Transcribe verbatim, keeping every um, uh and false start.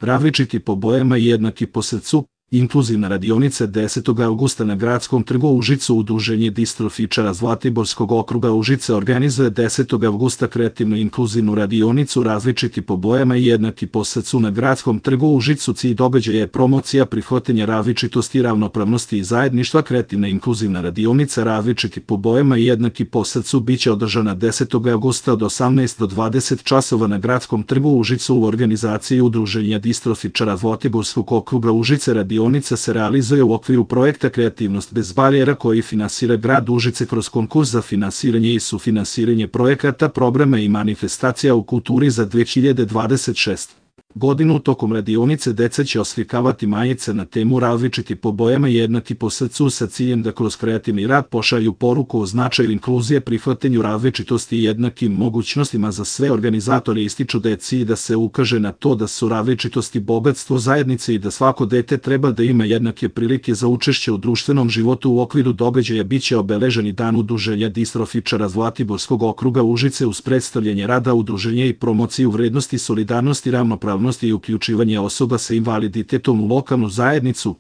Različiti po bojama i jednaki po srcu, inkluzivna radionica desetog avgusta na Gradskom trgu u Užicu. Udruženje distrofičara Zlatiborskog okruga Užice organizuje desetog avgusta kreativno-inkluzivnu radionicu Različiti po bojama i jednaki po srcu na Gradskom trgu u Užicu. Cilj događaja je promocija prihvatanja različitosti, ravnopravnosti i zajedništva. Kreativna inkluzivna radionica Različiti po bojama i jednaki po srcu biće održana desetog avgusta od osamnaest do dvadeset časova na Gradskom trgu u Užicu u organizaciji Udruženja distrofičara Zlatiborskog okruga Užice. Radionica se realizuje u okviru projekta Kreativnost bez barijera koji finansira grad Užice kroz konkurs za finansiranje i sufinansiranje projekata, programa i manifestacija u kulturi za dve hiljade dvadeset šeste. godinu. Tokom radionice deca će oslikavati majice na temu Različiti po bojama i jednaki po srcu sa ciljem da kroz kreativni rad pošalju poruku o značaju inkluzije, prihvatanju različitosti i jednakim mogućnostima za sve. Organizatori ističu da je cilj da se ukaže na to da su različitosti bogatstvo zajednice i da svako dete treba da ima jednake prilike za učešće u društvenom životu. U okviru događaja biće obeleženi dan Udruženja distrofičara Zlatiborskog okruga Užice uz predstavljanje rada udruženja i promociju vrednosti solidarnosti, ravnopravnosti i uključivanje osoba sa invaliditetom u lokalnu zajednicu.